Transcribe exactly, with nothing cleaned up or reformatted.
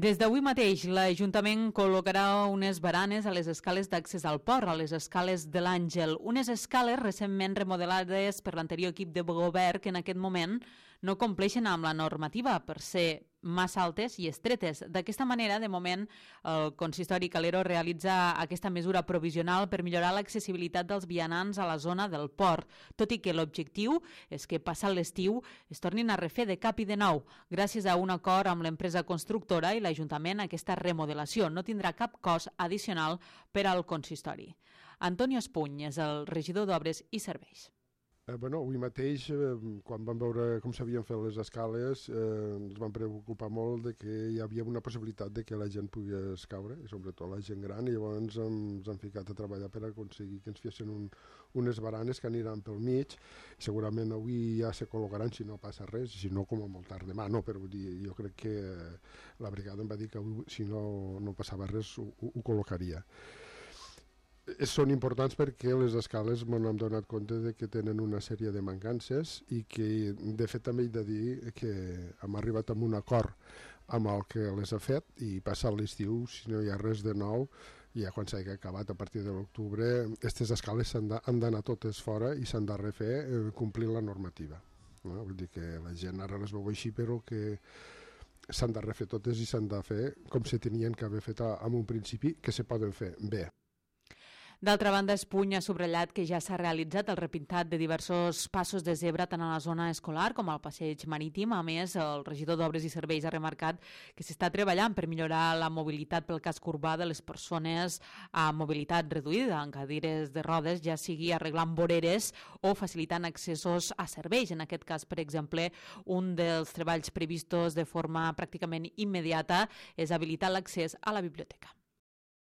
Des d'avui mateix, l'Ajuntament col·locarà unes baranes a les escales d'accés al port, a les escales de l'Àngel. Unes escales recentment remodelades per l'anterior equip de govern que en aquest moment no compleixen amb la normativa per ser massa altes i estretes. D'aquesta manera, de moment, el consistori Calero realitza aquesta mesura provisional per millorar l'accessibilitat dels vianants a la zona del port, tot i que l'objectiu és que, passat l'estiu, es tornin a refer de cap i de nou. Gràcies a un acord amb l'empresa constructora i l'Ajuntament, aquesta remodelació no tindrà cap cost addicional per al consistori. Antonio Espuny és el regidor d'Obres i Serveis. Eh, bueno, avui mateix, eh, quan vam veure com s'havien fet les escales, eh, ens vam preocupar molt de que hi havia una possibilitat de que la gent pogués caure, i sobretot la gent gran, i llavors ens hem ficat a treballar per aconseguir que ens fessin un, unes baranes que aniran pel mig. Segurament avui ja se col·locaran si no passa res, si no com a molt tard demà, no, però vull dir, jo crec que la brigada em va dir que avui, si no, no passava res ho, ho, ho col·locaria. Són importants perquè les escales m'hem donat compte de que tenen una sèrie de mancances i que, de fet, també he de dir que hem arribat a un acord amb el que les ha fet i passat l'estiu, si no hi ha res de nou, ja quan s'hagi acabat a partir de l'octubre, aquestes escales han d'anar totes fora i s'han de refer eh, complint la normativa. No? Vull dir que la gent ara les veu així, però que s'han de refer totes i s'han de fer com se tenien que haver fet en un principi, que se poden fer bé. D'altra banda, Espuny ha subratllat que ja s'ha realitzat el repintat de diversos passos de zebra tant a la zona escolar com al passeig marítim. A més, el regidor d'Obres i Serveis ha remarcat que s'està treballant per millorar la mobilitat pel casc urbà de les persones amb mobilitat reduïda, en cadires de rodes, ja sigui arreglant voreres o facilitant accessos a serveis. En aquest cas, per exemple, un dels treballs previstos de forma pràcticament immediata és habilitar l'accés a la biblioteca.